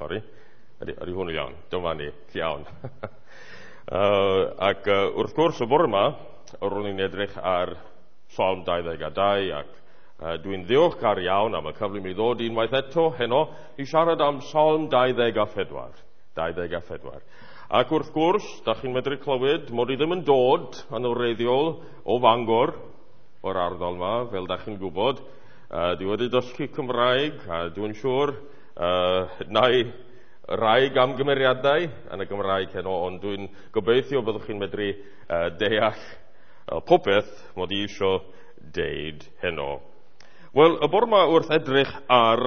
Sori. Ydy hwn iawn? Dyma ni. Iawn. Ac wrth gwrs, y bore yma, ro'n i'n edrych ar Salm 22 ac dwi'n ddiolchgar iawn am y cyfle mi ddod unwaith eto heno i siarad am Salm 24. 24. Ac wrth gwrs, da chi'n medru clywed mod i ddim yn dod yn wreiddiol o Fangor, o'r ardal yma, fel da chi'n gwybod. Dwi wedi dysgu Cymraeg, a dwi'n siŵr na i rai gamgymeriadau yn y Gymraeg heno, ond dwi'n gobeithio byddwch chi'n medru deall popeth mod i eisiau deud heno. Wel, y bore yma wrth edrych ar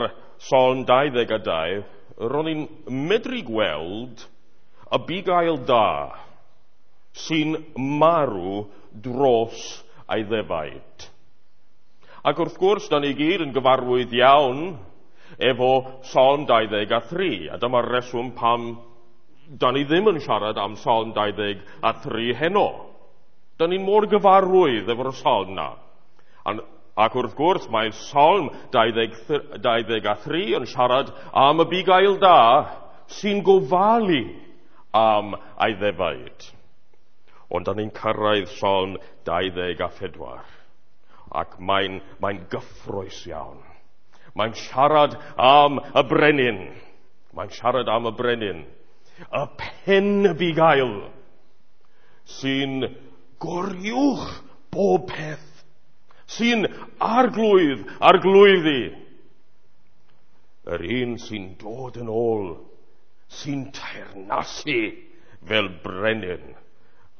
Salm 22, ro'n i'n medru gweld y bugail da sy'n marw dros ei ddefaid. Ac wrth gwrs, da ni gyd yn gyfarwydd iawn efo Salm 23, a dyma'r reswm pam da ni ddim yn siarad am Salm 23 heno. Da ni'n mor gyfarwydd efo'r salm na. Ac wrth gwrs, mae Salm 23 yn siarad am y bugail da sy'n gofalu am ei ddefaid. Ond da ni'n cyrraedd Salm 24, ac mae'n gyffrous iawn. Mae'n siarad am y brenin. Mae'n siarad am y brenin. Y pen y bugail sy'n goriwch bob peth, sy'n arglwydd arglwyddi. Yr un sy'n dod yn ôl, sy'n teyrnasu fel brenin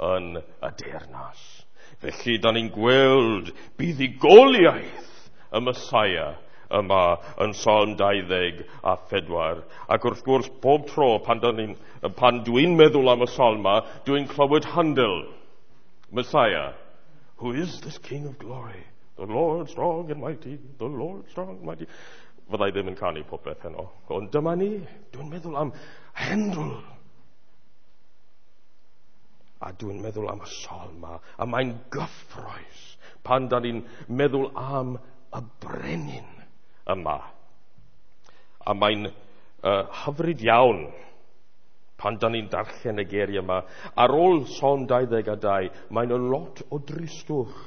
yn y deyrnas. Felly, da ni'n gweld buddugoliaeth y Messiah yma yn Salm 24. Ac wrth gwrs, bob tro pan dwi'n meddwl am y salm yma, dwi'n clywed Handel, Messiah. Who is this King of Glory? The Lord strong and mighty, the Lord strong and mighty. Fyddai ddim yn canu popeth heno. Ond dyma ni, dwi'n meddwl am Handel. A dwi'n meddwl am y salm yma, a mae'n gyffrous pan da ni'n meddwl am y brenin yma. A mae'n hyfryd iawn pan da ni'n darllen y geiriau yma. Ar ôl Salm 22, mae'n a lot o dristwch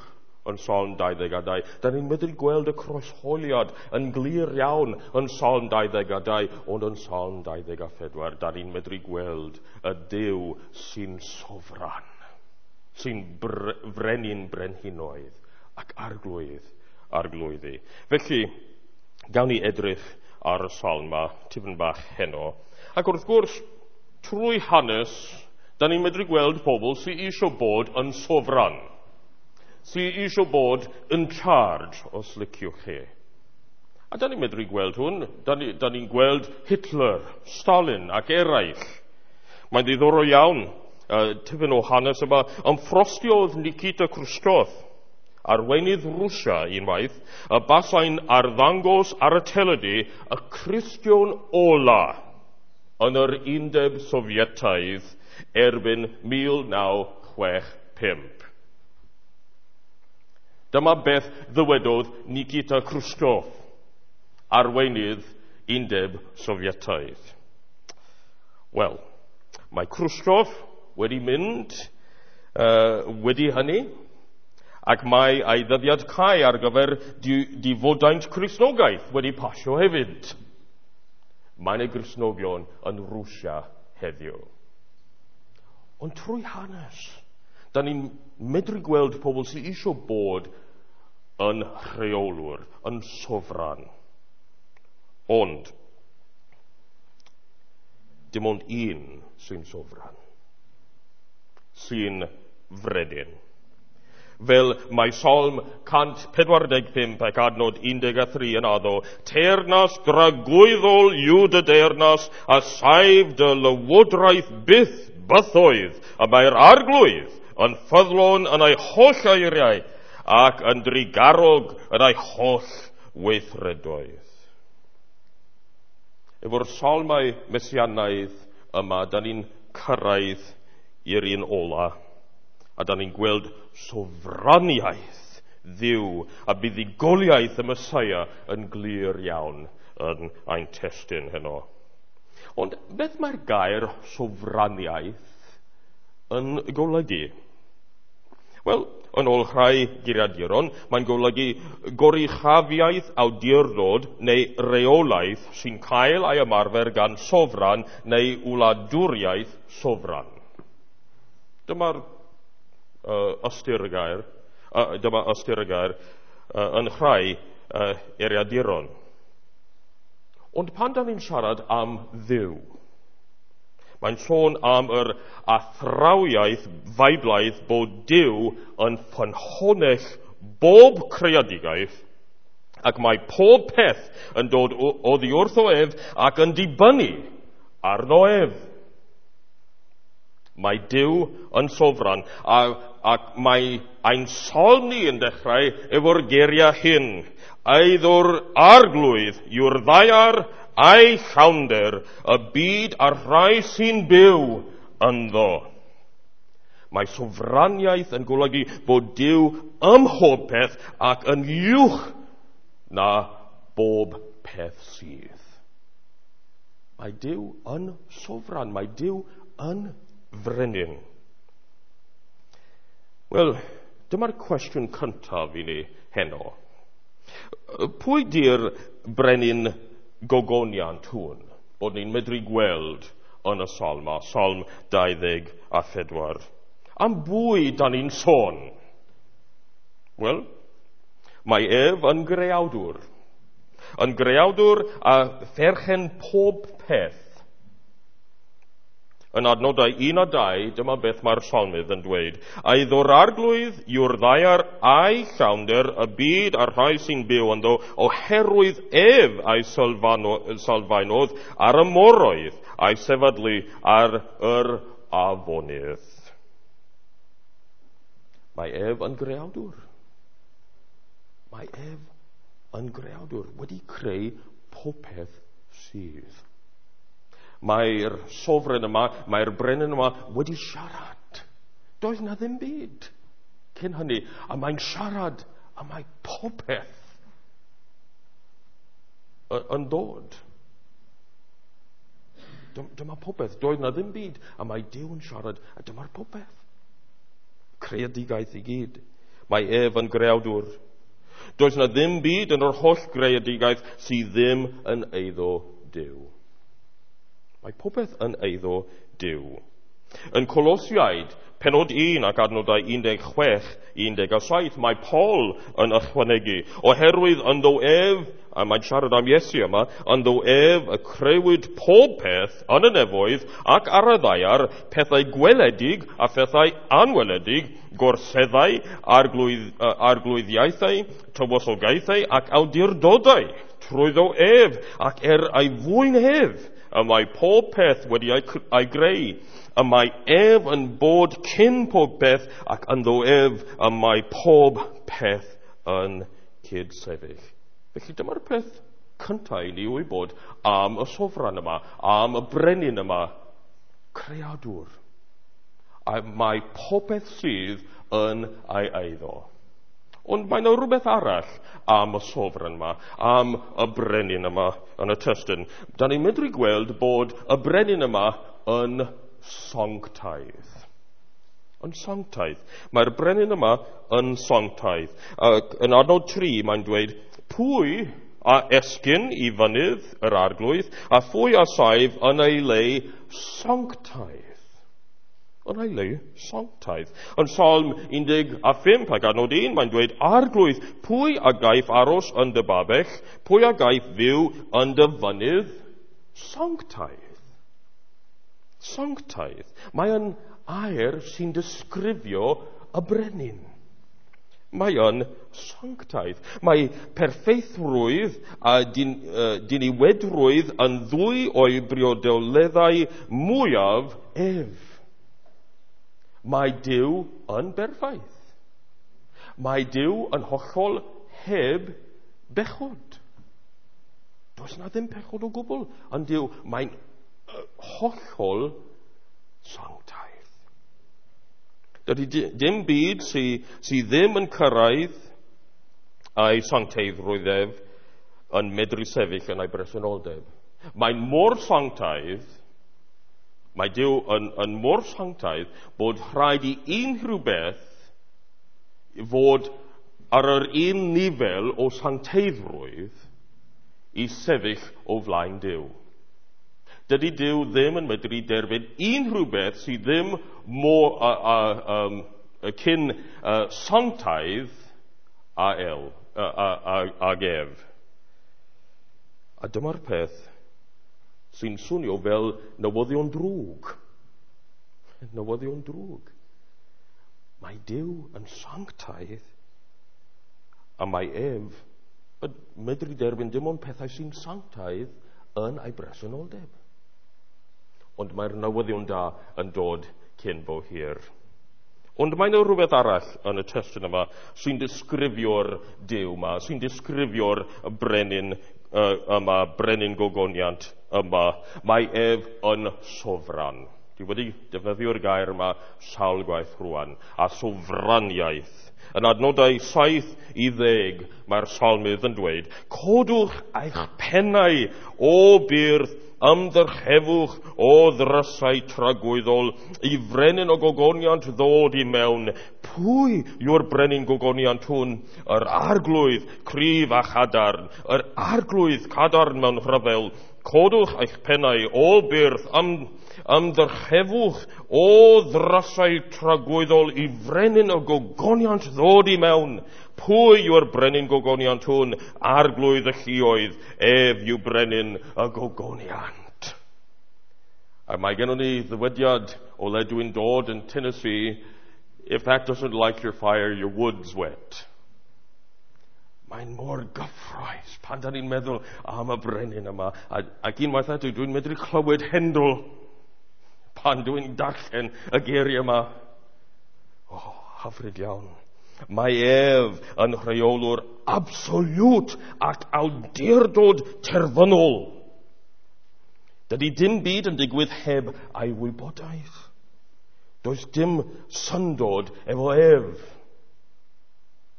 yn Salm 22. Da ni'n medru gweld y croeshoeliad yn glir iawn yn Salm 22, ond yn Salm 24, da ni'n medru gweld y Duw sy'n sofran, sy'n frenin brenhinoedd ac arglwydd arglwyddi. Felly, gawn ni edrych ar y salm yma tipyn bach heno. Ac wrth gwrs, trwy hanes, da ni'n medru gweld pobl sy'n eisiau bod yn sofran, sy'n eisiau bod yn charge, os liciwch chi. A da ni'n medru gweld hwn, da ni'n gweld Hitler, Stalin ac eraill. Mae'n ddiddorol iawn, tipyn o hanes yma, ymffrostiodd Nikita Khrushchev, arweinydd Rwsia unwaith, y basai'n arddangos ar y teledu y Cristion ola yn yr Undeb Sofietaidd erbyn 1965. Dyma beth ddywedodd Nikita Khrushchev, arweinydd Undeb Sofietaidd. Wel, mae Khrushchev wedi mynd wedi hynny, ac mae ei ddyddiad cau ar gyfer difodaint Cristnogaeth wedi pasio hefyd. Mae yna Gristnogion yn Rwsia heddiw. Ond trwy hanes, da ni'n medru gweld pobl sydd eisiau bod yn rheolwr, yn sofran. Ond, dim ond un sy'n sofran, sy'n frenin. Fel mae Salm 145 ac adnod 13 yn addo, teyrnas dragwyddol yw dy deyrnas, a saif dy lywodraeth byth bythoedd, a mae'r arglwydd yn ffyddlon yn ei holl eiriau ac yn drugarog yn ei holl weithredoedd. Efo'r salmau mesianaidd yma, da ni'n cyrraedd i'r un ola, a da ni'n gweld sofraniaeth Dduw a buddugoliaeth y Messiah yn glir iawn yn ein testun heno. Ond beth mae'r gair sofraniaeth yn golygu? Wel, yn ôl rhai geiriaduron, mae'n golygu goruchafiaeth awdurdod neu reolaeth sy'n cael ei ymarfer gan sofran neu wladwriaeth sofran. Dyma'r ystyr y gair, dyma ystyr y gair yn rhai eiriaduron. Ond pan da ni'n siarad am Dduw, mae'n sôn am yr athrawiaeth Feiblaidd bod Duw yn ffynhonnell bob creadigaeth ac mae pob peth yn dod oddi wrtho ef ac yn dibynnu arno ef. Mae Duw yn sofran ac mae ein salm ni yn dechrau efo'r geiriau hyn. Eiddo'r Arglwydd yw'r ddaear a'i llawnder, y byd a'r rhai sy'n byw ynddo. Mae sofraniaeth yn golygu bod Duw ym mhob peth ac yn uwch na bob peth sydd. Mae Duw yn sofran, mae Duw yn frenin. Wel, dyma'r cwestiwn cyntaf i ni heno. Pwy di'r brenin gogoniant hwn bod ni'n medru gweld yn y salm, a Salm 24? Am bwy da ni'n sôn? Wel, mae ef yn greawdwr. Yn greawdwr a pherchen pob peth. Yn adnodau 1 a 2, dyma beth mae'r salmydd yn dweud. Eiddo'r Arglwydd yw'r ddaear a'i llawnder, y byd a'r rhai sy'n byw ynddo, oherwydd ef a'i sylfaenodd ar y moroedd, a'i sefydlu ar yr afonydd. Mae ef yn greawdwr. Mae ef yn greawdwr, wedi creu popeth sydd. Mae'r sofren yma, mae'r brenin yma wedi siarad. Doedd na ddim byd cyn hynny. A mae'n siarad, a mae popeth yn dod. Dyma popeth. Doedd na ddim byd, a mae Duw yn siarad, a dyma'r popeth. Creadigaeth i gyd. Mae ef yn greawdwr. Does na ddim byd yn yr holl greadigaeth sydd ddim yn eiddo Duw. Mae popeth yn eiddo Duw. Yn Colosiaid, penod 1 ac adnodau 16, 17, mae Paul yn ychwanegu, oherwydd ynddo ef, a mae'n siarad am Iesu yma, ynddo ef y crëwyd pob peth yn y nefoedd ac ar y ddaear, pethau gweledig a phethau anweledig, gorseddau, arglwyddiaethau, tywysogaethau ac awdurdodau, trwyddo ef ac er ei fwyn ef, y mae pob peth wedi ei greu. Y mae ef yn bod cyn pob peth ac ynddo ef y mae pob peth yn cydsefyll. Felly dyma'r peth cyntaf i ni wybod am y sofran yma, am y brenin yma, creadur. A mae popeth sydd yn ei eiddo. Ond mae yna rhywbeth arall am y sofran yma, am y brenin yma yn y testun. Da ni'n medru gweld bod y brenin yma yn sanctaidd. Yn sanctaidd. Mae'r brenin yma yn sanctaidd. Ac yn adnod 3 mae'n dweud, pwy a esgyn i fynydd yr Arglwydd, a phwy a saif yn ei le sanctaidd? Yn ei le sanctaidd. Yn Salm 15 ac adnod 1, mae'n dweud, Arglwydd, pwy a gaiff aros yn dy babell, pwy a gaiff fyw yn dy fynydd sanctaidd? Sanctaidd. Mae yn air sy'n disgrifio y brenin. Mae yn sanctaidd. Mae perffeithrwydd a diniwedrwydd yn ddwy o'i briodoleddau mwyaf ef. Mae Duw yn berffaith. Mae Duw yn hollol heb bechod. Does na ddim pechod o gwbl yn Duw. Mae'n hollol sanctaidd. Dydy dim byd sy ddim yn cyrraedd a'i sancteiddrwydd ef yn medru sefyll yn ei bresenoldeb. Mae'n mor sanctaidd, mae Duw yn mor sanctaidd bod rhaid i unrhyw beth fod ar yr un nifel o sancteiddrwydd i sefyll o flaen Duw. Dydy Duw ddim yn medru derbyn unrhyw beth sydd ddim mor cyn sanctaidd ag ef. A dyma'r peth sy'n swnio fel newyddion drwg. Newyddion drwg. Mae Duw yn sanctaidd a mae ef yn medru derbyn dim ond pethau sy'n sanctaidd yn ei bresenoldeb. Ond mae'r newyddion da yn dod cyn bo hir. Ond mae yna rhywbeth arall yn y testun yma sy'n disgrifio'r Duw yma, sy'n disgrifio'r brenin yma, brenin gogoniant yma. Mae ef yn sofran. Dwi wedi defnyddio'r gair yma sawl gwaith rwan, a sofraniaeth. Yn adnodau 7 i 10 mae'r salmydd yn dweud, "Codwch eich pennau, o byrth, ymddyrchefwch, o ddrysau tragwyddol, i frenin o gogoniant ddod i mewn. Pwy yw'r brenin gogoniant hwn? Yr Arglwydd cryf a chadarn, yr Arglwydd cadarn mewn rhyfel. Codwch eich pennau, o byrth, ymddyrchefwch, o ddrysau tragwyddol, i frenin o gogoniant ddod i mewn. Pwy yw'r brenin gogoniant hwn? Arglwydd y lluoedd, ef yw brenin y gogoniant." A mae gennym ni ddywediad o le dwi'n dod yn Tennessee, "If that doesn't light your fire, your wood's wet." Mae'n mor gyffrous pan da ni'n meddwl am y brenin yma. Ac unwaith eto, dwi'n medru clywed Handel pan dwi'n darllen y geiriau yma. Oh, hyfryd iawn. Mae ef yn rheolwr absoliwt ac awdurdod terfynol. Dydy dim byd yn digwydd heb ei wybodaeth. Does dim syndod efo ef.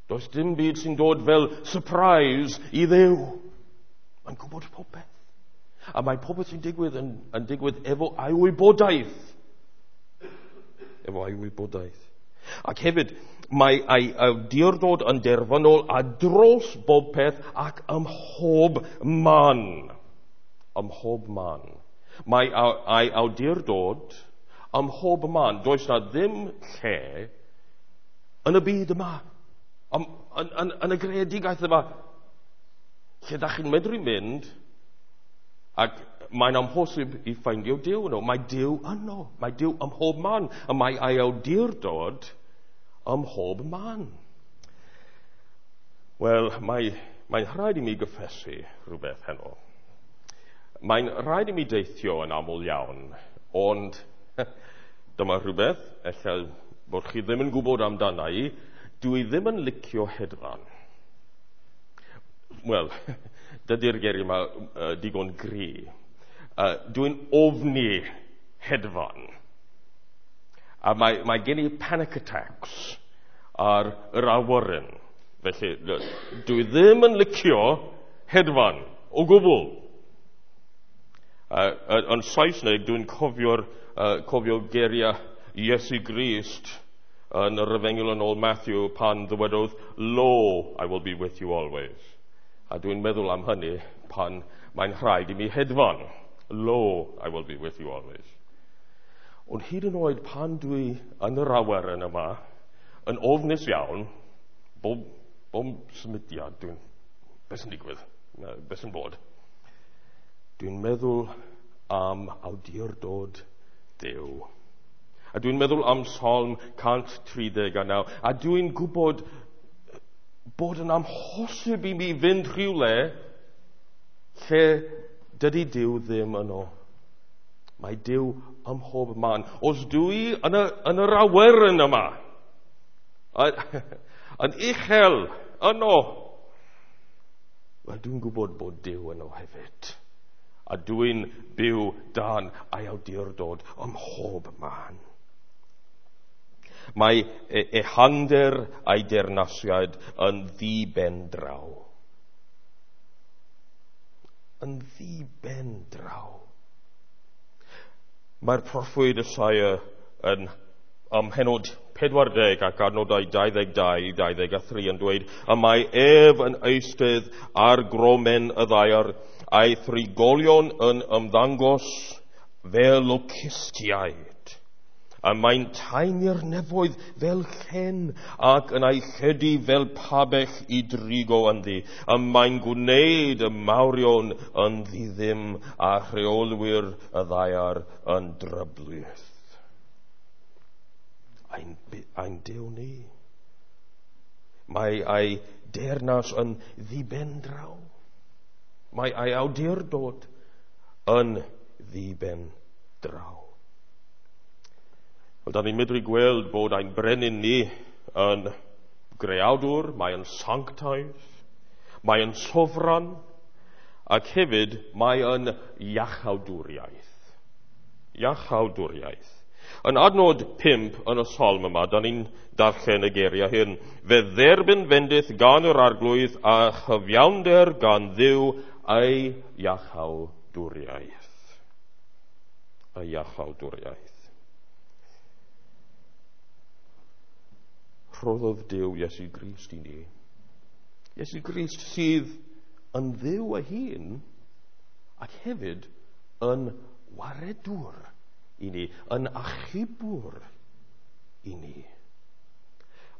Does dim byd sy'n dod fel surprise i Dduw. Mae'n gwybod popeth. A mae popeth sy'n digwydd yn digwydd efo ei wybodaeth. Efo ei wybodaeth. Ac hefyd, mae ei awdurdod yn derfynol a dros bob peth ac ym mhob man. Ym mhob man. Mae ei awdurdod ym mhob man. Does na ddim lle yn y byd yma, yn y greadigaeth yma, lle da chi'n medru mynd ac mae'n amhosib i ffeindio Duw yno. Mae Duw yno. Mae Duw ym mhob man. A mae ei awdurdod ym mhob man. Wel, mae'n rhaid i mi gyffesu rhywbeth heno. Mae'n rhaid i mi deithio yn aml iawn, ond dyma rhywbeth, ella bod chi ddim yn gwybod amdana i, dwi ddim yn licio hedfan. Wel, dydy'r geiriau yma digon gry. Dwi'n ofni hedfan. A mae gen i panic attacks ar yr awyren. Felly, dwi ddim yn licio hedfan o gwbl. Yn Saesneg, dwi'n cofio geiriau Iesu Grist yn yr Efengyl yn ôl Matthew pan ddywedodd, "Lo, I will be with you always." A dwi'n meddwl am hynny pan mae'n rhaid i mi hedfan. "Lo, I will be with you always." Ond hyd yn oed pan dwi yn yr awyren yma, yn ofnus iawn, bob symudiad dwi'n, beth sy'n digwydd? Beth sy'n bod? Dwi'n meddwl am awdurdod Duw. A dwi'n meddwl am Salm 139. A dwi'n gwybod bod yn amhosib i mi fynd rhywle lle dydy Duw ddim yno. Mae Duw ym mhob man. Os dwi yn yr awyren yma, yn uchel yno, wel, dwi'n gwybod bod Duw yno hefyd. A dwi'n byw dan ei awdurdod ym mhob man. Mae ehangder ei deyrnasiad yn ddi-ben draw. Yn ddi-ben draw. Mae'r proffwyd Isaia yn ym mhennod 40 ac adnodau 22 i 23 yn dweud, y mae ef yn eistedd ar gromen y ddaear, a'i thrigolion yn ymddangos fel locustiaid. A mae'n taenu'r nefoedd fel llen ac yn ei lledu fel pabell i drigo ynddi. A mae'n gwneud y mawrion yn ddiddim a rheolwyr y ddaear yn dryblith. Ein Duw ni. Mae ei deyrnas yn ddibendraw. Mae ei awdurdod yn ddibendraw. Wel, da ni'n medru gweld bod ein brenin ni yn greawdwr, mae yn sanctaidd, mae yn sofran, ac hefyd mae yn iachawdwriaeth. Iachawdwriaeth. Yn adnod 5 yn y salm yma, da ni'n darllen y geiriau hyn. Fe dderbyn fendith gan yr Arglwydd a chyfiawnder gan Dduw ei iachawdwriaeth. Ei iachawdwriaeth. Rhoddodd Duw Iesu Grist i ni. Iesu Grist sydd yn Dduw ei hun ac hefyd yn waredwr i ni, yn achubwr i ni.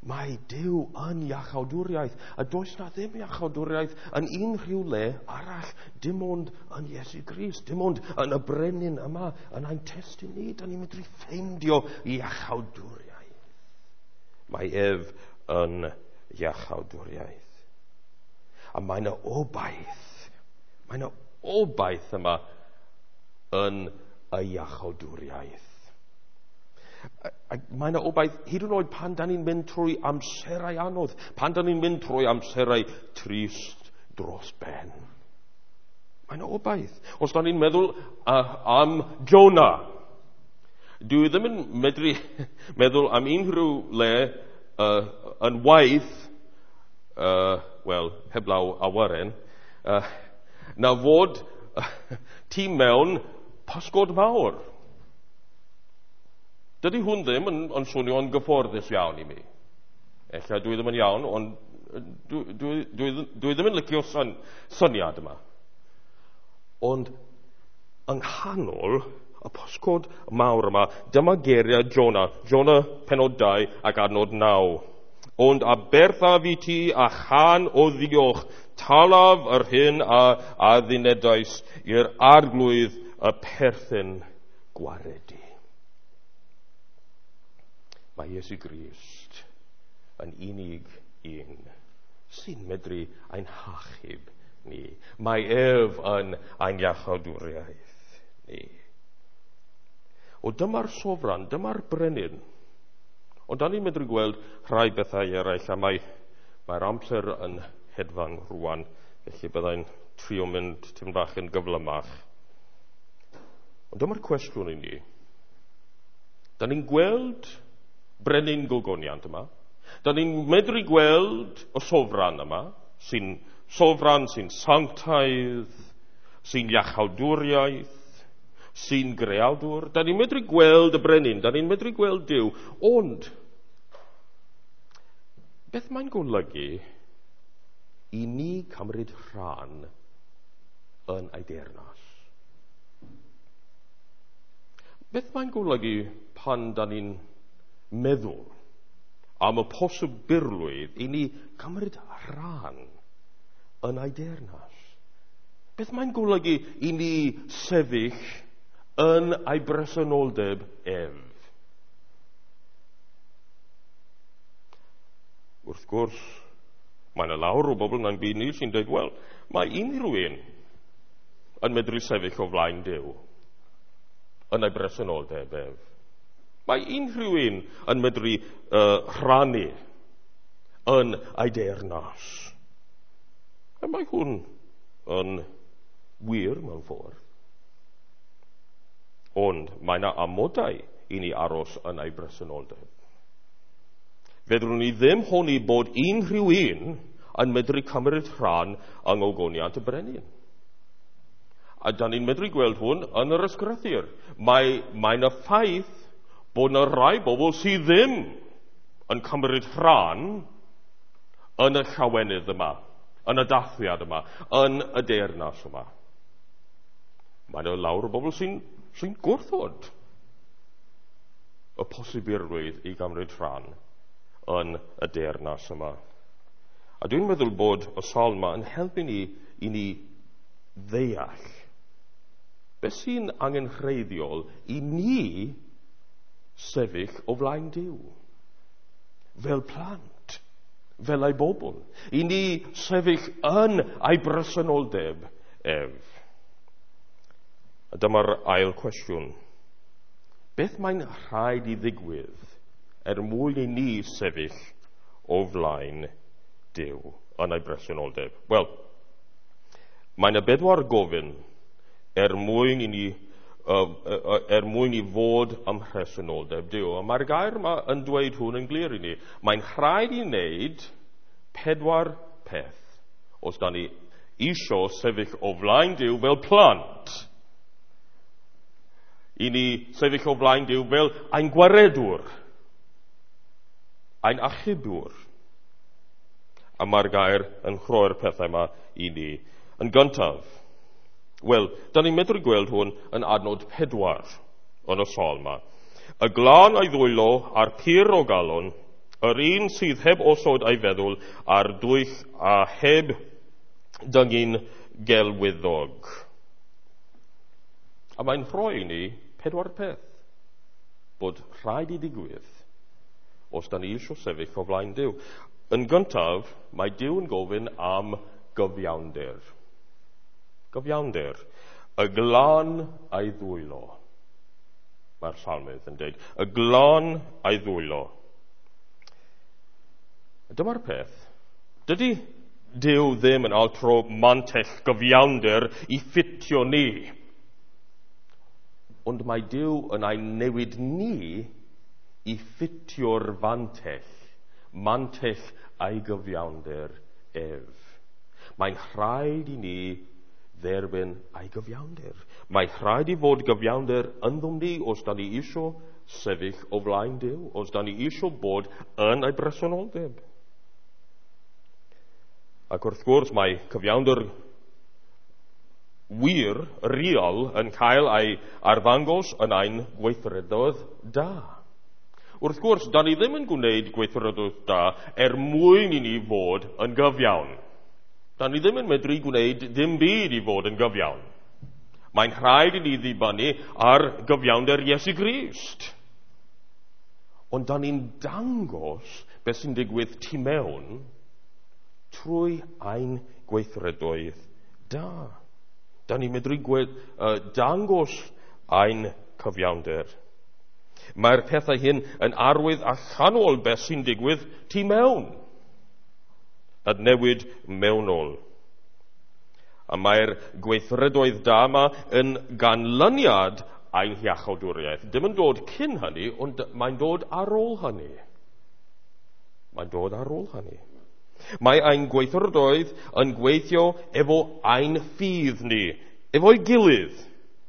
Mae Duw yn iachawdwriaeth, a does na ddim iachawdwriaeth yn unrhyw le arall, dim ond yn Iesu Grist, dim ond yn y brenin yma, yn ein testun ni, da ni'n medru ffeindio iachawdwriaeth. Mae ef yn iachawdwriaeth. A mae yna obaith, mae yna obaith yma yn y iachawdwriaeth. A mae yna obaith hyd yn oed pan da ni'n mynd trwy amserau anodd, pan da ni'n mynd trwy amserau trist dros ben. Mae yna obaith. Os da ni'n meddwl am Jonah, dwi ddim yn medru meddwl am unrhyw le yn waith, wel, heblaw awyren, na fod ti mewn pysgod mawr. Dydy hwn ddim yn swnio'n gyfforddus iawn i mi. Ella dwi ddim yn iawn, ond dwi ddim yn licio syniad yma. Ond yng nghanol y pysgod mawr yma, dyma geiriau Jonah, Jonah pennod 2 ac adnod 9. Ond aberthaf i ti a chan o ddiolch, talaf yr hyn a addunedais i'r Arglwydd y perthyn gwaredu. Mae Iesu Grist yn unig un sy'n medru ein hachub ni. Mae ef yn ein iachawdwriaeth ni. O dyma'r sofran, dyma'r brenin. Ond da ni'n medru gweld rhai bethau eraill, a mae'r amser yn hedfan rwan, felly byddai'n trio mynd tipyn bach yn gyflymach. Ond dyma'r cwestiwn i ni. Da ni'n gweld brenin gogoniant yma. Da ni'n medru gweld y sofran yma, sy'n sofran, sy'n sanctaidd, sy'n iachawdwriaeth, sy'n greawdwr. Da ni'n medru gweld y brenin, da ni'n medru gweld Duw, ond beth mae'n golygu i ni cymryd rhan yn ei deyrnas? Beth mae'n golygu pan da ni'n meddwl am y posibilrwydd i ni cymryd rhan yn ei deyrnas? Beth mae'n golygu i ni sefyll yn ei bresenoldeb ef? Wrth gwrs, mae yna lawer o bobl yn byd ni sy'n dweud, wel, mae unrhyw un yn medru sefyll o flaen Duw yn ei bresenoldeb ef. Mae unrhyw un yn medru rhannu yn ei deyrnas. A mae hwn yn wir mewn ffordd. Ond mae yna amodau i ni aros yn ei bresenoldeb. Fedrwn ni ddim honni bod unrhyw un yn medru cymryd rhan yng ngogoniant y brenin. A da ni'n medru gweld hwn yn yr ysgrythur. Mae'n y ffaith bod yna rai bobl sydd ddim yn cymryd rhan yn y llawenydd yma, yn y dathliad yma, yn y deyrnas yma. Mae yna lawer o bobl sy'n gwrthod y posibilrwydd i gymryd rhan yn y deyrnas yma. A dwi'n meddwl bod y salm yma yn helpu ni i ni ddeall beth sy'n angenrheidiol i ni sefyll o flaen Duw, fel plant, fel ei bobl, i ni sefyll yn ei bresenoldeb ef. A dyma'r ail cwestiwn. Beth mae'n rhaid i ddigwydd er mwyn i ni sefyll o flaen Duw yn ei bresenoldeb? Wel, mae yna bedwar gofyn er mwyn i ni er mwyn i fod ym mhresenoldeb Duw. A mae'r gair yma yn dweud hwn yn glir i ni. Mae'n rhaid i wneud pedwar peth os da ni isio sefyll o flaen Duw fel plant. I ni sefyll o flaen Duw fel ein gwaredwr, ein achubwr. A mae'r gair yn rhoi'r pethau yma i ni. Yn gyntaf, wel, da ni'n medru gweld hwn yn adnod 4 yn y salm yma. Y glân a'i ddwylo a'r pur o galon, yr un sydd heb osod a'i feddwl a'r dwyll a heb dyngu'n gelwyddog. A mae'n rhoi i ni pedwar peth bod rhaid i digwydd os da ni eisiau sefyll o flaen Duw. Yn gyntaf, mae Duw yn gofyn am gyfiawnder. Gyfiawnder. Y glân a'i ddwylo. Mae'r salmydd yn dweud, y glân a'i ddwylo. Dyma'r peth. Dydy Duw ddim yn altro mantell gyfiawnder i ffitio ni. Ond mae Duw yn ein newid ni i ffitio'r fantell, mantell a'i gyfiawnder ef. Mae'n rhaid i ni dderbyn a'i gyfiawnder. Mae rhaid i fod gyfiawnder ynddom ni os da ni isio sefyll o flaen Duw, os da ni isio bod yn ei bresenoldeb. Ac wrth gwrs mae cyfiawnder wir, real, yn cael ei arddangos yn ein gweithredoedd da. Wrth gwrs, da ni ddim yn gwneud gweithredoedd da er mwyn i ni fod yn gyfiawn. Da ni ddim yn medru gwneud dim byd i fod yn gyfiawn. Mae'n rhaid i ni ddibynnu ar gyfiawnder Iesu Grist. Ond da ni'n dangos beth sy'n digwydd tu mewn trwy ein gweithredoedd da. Da ni'n medru dangos ein cyfiawnder. Mae'r pethau hyn yn arwydd allanol beth sy'n digwydd tu mewn, y newid mewnol. A mae'r gweithredoedd da yma yn ganlyniad ein hiachawdwriaeth. Dim yn dod cyn hynny, ond mae'n dod ar ôl hynny. Mae'n dod ar ôl hynny. Mae ein gweithredoedd yn gweithio efo ein ffydd ni, efo'i gilydd,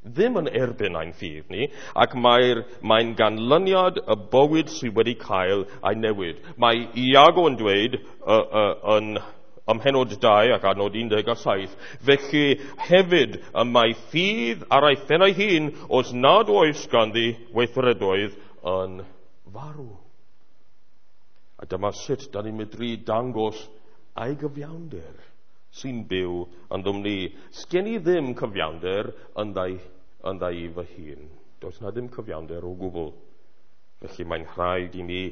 ddim yn erbyn ein ffydd ni, ac mae'n ganlyniad y bywyd sydd wedi cael ei newid. Mae Iago yn dweud yn ym mhennod 2 ac adnod 17, felly hefyd y mae ffydd ar ei phen ei hun os nad oes ganddi weithredoedd yn farw. A dyma sut da ni'n medru dangos ei gyfiawnder sy'n byw ynddom ni. Sgen i ddim cyfiawnder ynddo i fy hun. Does na ddim cyfiawnder o gwbl. Felly mae'n rhaid i mi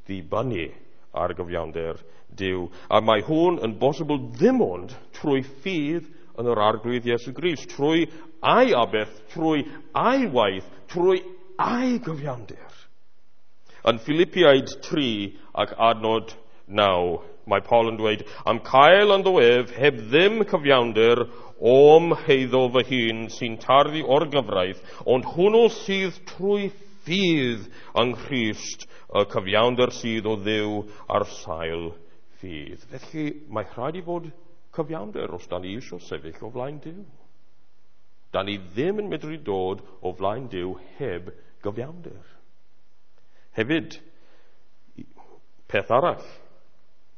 ddibynnu ar gyfiawnder Duw. A mae hwn yn bosibl ddim ond trwy ffydd yn yr Arglwydd Iesu Grist, trwy ei aberth, trwy ei waith, trwy ei gyfiawnder. Yn Philippiaid 3 ac adnod 9, mae Paul yn dweud, am cael ynddo ef heb ddim cyfiawnder o'm heiddo fy hun sy'n tarddu o'r gyfraith, ond hwnnw sydd trwy ffydd yng Nghrist, y cyfiawnder sydd o Dduw ar sail ffydd. Felly mae rhaid i fod cyfiawnder os da ni eisiau sefyll o flaen Duw. Da ni ddim yn medru dod o flaen Duw heb gyfiawnder. Hefyd, peth arall,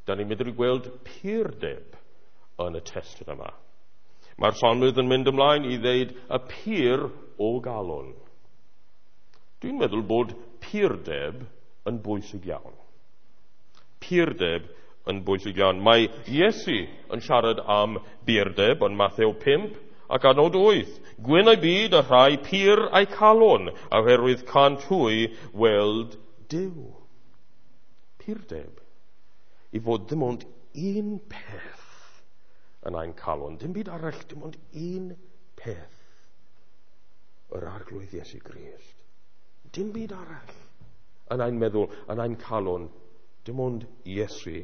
da ni'n medru gweld purdeb yn y testun yma. Mae'r salmydd yn mynd ymlaen i ddeud y pur o galon. Dwi'n meddwl bod purdeb yn bwysig iawn. Purdeb yn bwysig iawn. Mae Iesu yn siarad am burdeb yn Mathew 5 ac adnod 8. Gwyn ei byd y rhai pur eu calon, oherwydd cant hwy weld Duw. Purdeb. I fod dim ond un peth yn ein calon. Dim byd arall, dim ond un peth. Yr Arglwydd Iesu Grist. Dim byd arall yn ein meddwl, yn ein calon. Dim ond Iesu.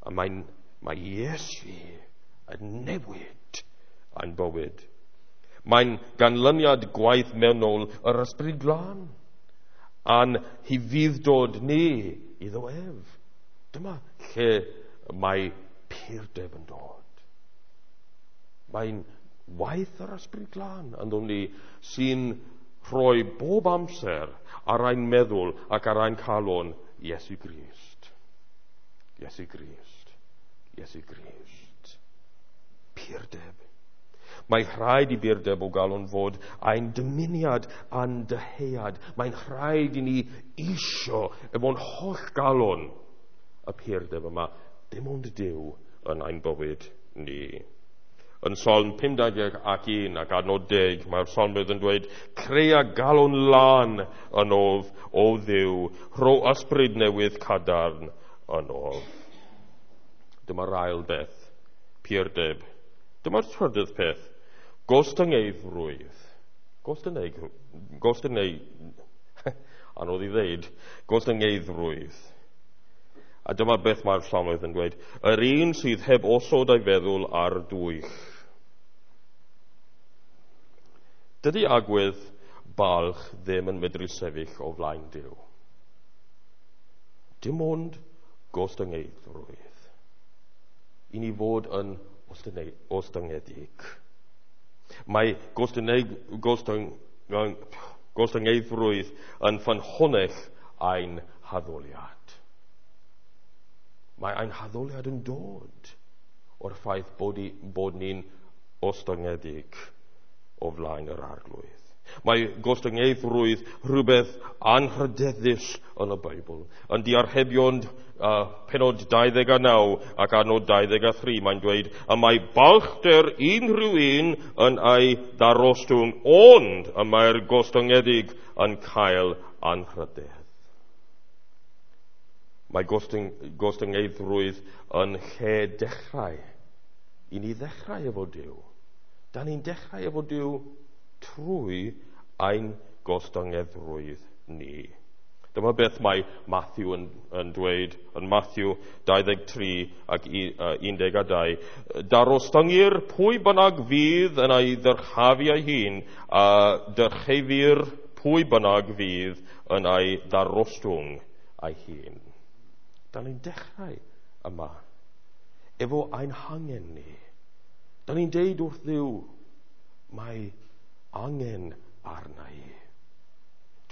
A mae Iesu yn newid ein bywyd. Mae'n ganlyniad gwaith mewnol yr Ysbryd Glân a'n hufudd-dod ni iddo ef. Dyma lle mae purdeb yn dod. Mae'n waith yr Ysbryd Glân ynddon ni sy'n rhoi bob amser ar ein meddwl ac ar ein calon Iesu Grist. Iesu Grist. Iesu Grist. Purdeb. Mae rhaid i burdeb o galon fod ein dymuniad a'n dyhead. Mae'n rhaid i ni isio efo'n holl galon y purdeb yma. Dim ond Duw yn ein bywyd ni. Yn Salm 51 ac adnod 10, mae'r salmydd yn dweud, Crea galon lân ynof, o Dduw, rho ysbryd newydd cadarn ynof. Dyma'r ail beth, purdeb. Dyma'r trydydd peth, gostyngeiddrwydd. Anodd i ddeud, gostyngeiddrwydd. A dyma beth mae'r salmydd yn dweud, yr un sydd heb osod ei feddwl ar dwyll. Dydy agwedd balch ddim yn medru sefyll o flaen Duw. Dim ond gostyngeiddrwydd. I ni fod yn ostyngedig. Mae gostyngeiddrwydd yn ffynhonnell ein haddoliad. Mae ein haddoliad yn dod o'r ffaith bod ni'n ostyngedig o flaen yr Arglwydd. Mae gostyngeiddrwydd rhywbeth anrhydeddus yn y Beibl. Yn Diarhebion penod 29 ac adnod 23 mae'n dweud, y mae balchder unrhyw un yn ei ddarostwng, ond y mae'r gostyngedig yn cael anrhydedd. Mae gostyngeiddrwydd yn lle dechrau. I ni ddechrau efo Duw. Da ni'n dechrau efo Duw trwy ein gostyngeiddrwydd ni. Dyma beth mae Matthew yn dweud yn Matthew 23 ac 12. Darostyngir pwy bynnag fydd yn ei ddyrchafu ei hun, a dyrchefir pwy bynnag fydd yn ei ddarostwng ei hun. Da ni'n dechrau yma efo ein hangen ni. Da ni'n deud wrth Dduw, mae angen arna i.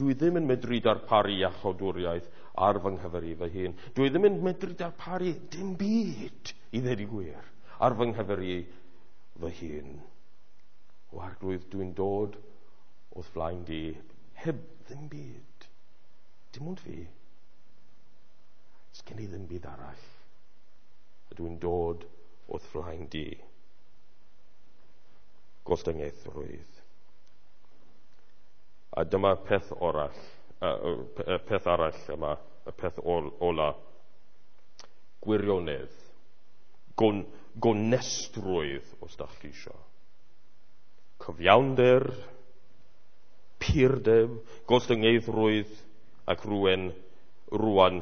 Dwi ddim yn medru darparu iachawdwriaeth ar fy nghyfer i fy hun. Dwi ddim yn medru darparu dim byd, i ddweud y gwir, ar fy nghyfer i fy hun. O Arglwydd, dwi'n dod o'th flaen di heb ddim byd. Dim ond fi. Sgen i ddim byd arall. A dwi'n dod o'th flaen di. Gostyngaethrwydd. A dyma peth orall, peth arall yma, y peth ola. Gwirionedd. Gonestrwydd, os da chi isio. Cyfiawnder, purdeb, gostyngeiddrwydd, ac rwan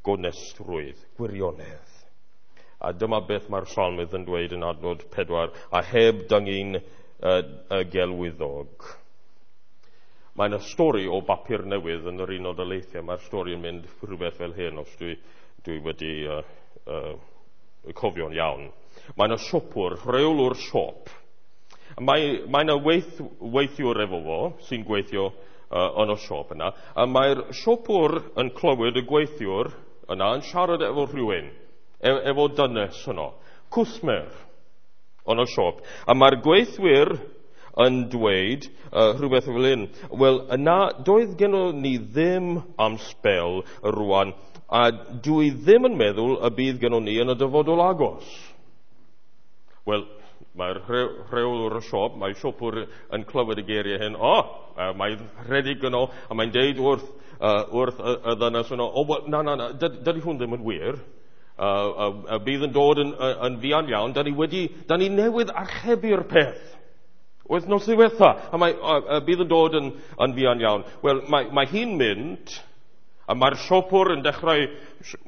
gonestrwydd, gwirionedd. A dyma beth mae'r salmydd yn dweud yn adnod 4, a heb dyngu'n y gelwyddog. Mae yna stori o bapur newydd yn yr Unol Daleithiau. Mae'r stori yn mynd rhywbeth fel hyn, os dwi wedi cofio'n iawn. Mae yna siopwr, rheolwr siop, Mae yna weithiwr efo fo sy'n gweithio yn y siop yna, a mae'r siopwr yn clywed y gweithiwr yna yn siarad efo rhywun, efo dynes yno, cwsmer yn y siop. A mae'r gweithwyr yn dweud rhywbeth fel hyn, wel, yna doedd gennym ni ddim am sbel rwan, a dwi ddim yn meddwl y bydd gennym ni yn y dyfodol agos. Wel, mae'r rheolwr y siop, mae siopwr yn clywed y geiriau hyn, mae'n rhedeg yno, a mae'n deud wrth y ddynes yno, o, well, na, dydy hwn ddim yn wir. Bydd yn dod yn fuan iawn, da ni newydd archebu'r peth. Wythnos ddiwetha, a mae bydd yn dod yn fuan iawn. Wel, mae hi'n mynd, a mae'r siopwr yn dechrau,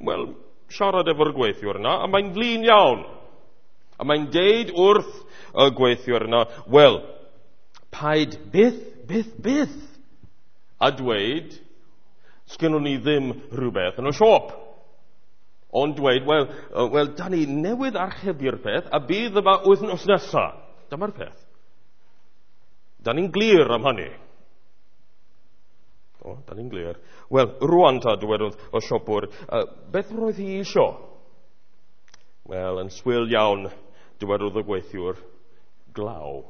wel, siarad efo'r gweithiwr yna, a mae'n flin iawn. A mae'n deud wrth y gweithiwr yna, wel, paid byth, a dweud, sgynnon ni ddim rhywbeth yn y siop. Ond dweud, wel, da ni newydd archebu'r peth, a bydd yma wythnos nesa. Dyma'r peth. Da ni'n glir am hynny. O, da ni'n glir. Wel, rwan ta, dywedodd y siopwr, beth roedd hi isio? Wel, yn swil iawn, dywedodd y gweithiwr, glaw.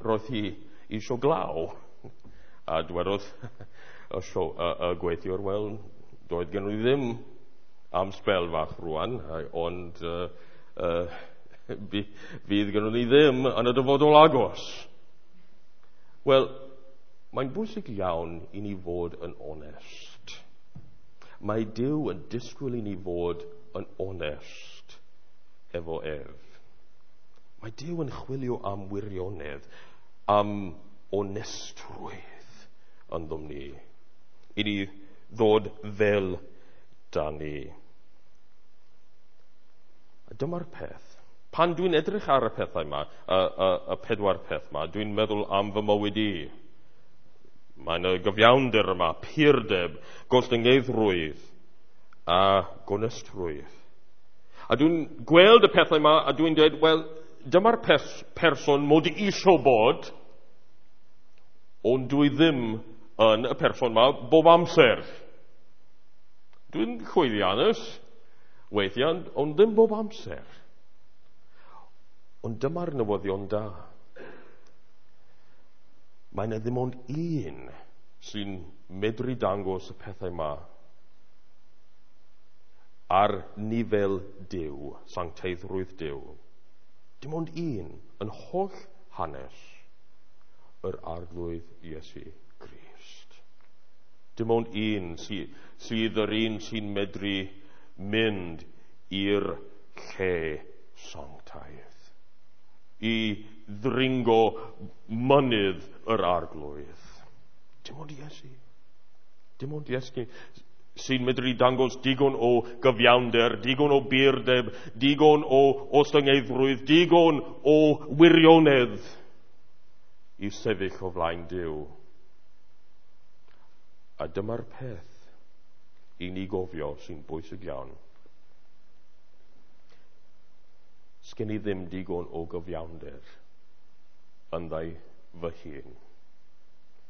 Roedd hi isio glaw. A dywedodd y gweithiwr, wel, doedd gen i ddim am sbel fach rwan, ond fydd gen ni ddim yn y dyfodol agos. Wel, mae'n bwysig iawn i ni fod yn onest. Mae Duw yn disgwyl i ni fod yn onest efo ef. Mae Duw yn chwilio am wirionedd, am onestrwydd ynddom ni, i ni ddod fel da ni. A dyma'r peth. Pan dwi'n edrych ar y pethau yma, y pedwar peth yma, dwi'n meddwl am fy mywyd i. Mae yna gyfiawnder yma, purdeb, gostyngeiddrwydd a gonestrwydd. A dwi'n gweld y pethau yma a dwi'n dweud, wel, dyma'r person mod i isio bod, ond dwi ddim yn y person yma bob amser. Dwi'n llwyddiannus weithiau, ond ddim bob amser. Ond dyma'r newyddion da. Mae yna ddim ond un sy'n medru dangos y pethau yma ar nifel Duw, sancteiddrwydd Duw. Dim ond un yn holl hanes yr Arglwydd Iesu Grist. Dim ond un sydd yr un sy'n medru mynd i'r lle sanctaidd, i ddringo mynydd yr Arglwydd. Dim ond Iesu. Dim ond Iesu sy'n medru dangos digon o gyfiawnder, digon o burdeb, digon o ostyngeiddrwydd, digon o wirionedd i sefyll o flaen Duw. A dyma'r peth i ni gofio sy'n bwysig iawn. Sgen i ddim digon o gyfiawnder ynddau fy hun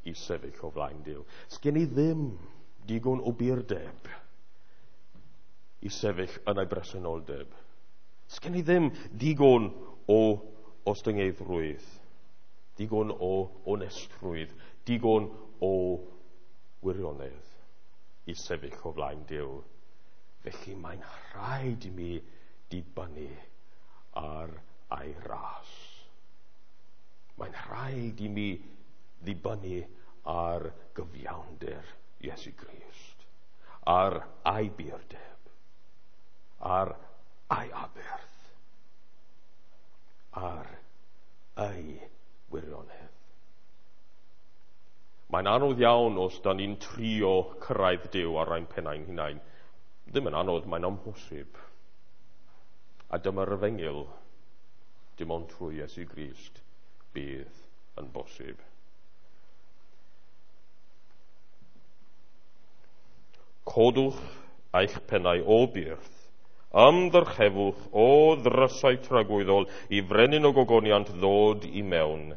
i sefyll o flaen Duw. Sgen i ddim digon o burdeb i sefyll yn ei bresenoldeb. Sgen i ddim digon o ostyngeiddrwydd, digon o onestrwydd, digon o wirionedd i sefyll o flaen Duw. Felly mae'n rhaid i mi dibynnu ar ei ras. Mae'n rhaid i mi ddibynnu ar gyfiawnder Iesu Grist, ar ei burdeb, ar ei aberth, ar ei wirionedd. Mae'n anodd iawn os da ni'n trio cyrraedd Duw ar ein pennau'n hunain. Ddim yn anodd, mae'n amhosib. A dyma'r efengyl, dim ond trwy Iesu Grist bydd yn bosib. Codwch eich pennau o byrth Ymddyrchefwch o ddrysau tragwyddol i frenin o gogoniant ddod i mewn.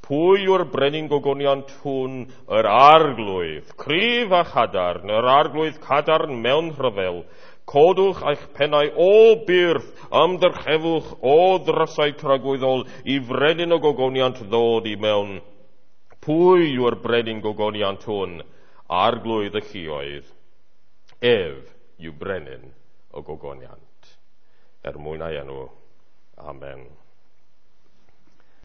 Pwy yw'r brenin gogoniant hwn? Yr arglwydd, cryf a chadarn, yr arglwydd cadarn mewn rhyfel. Codwch eich pennau o byrth, ymddyrchefwch o ddrysau tragwyddol i frenin o gogoniant ddod i mewn. Pwy yw'r brenin gogoniant hwn? Arglwydd y lluoedd. Ef yw brenin y gogoniant. Er mwyn ei enw. Amen.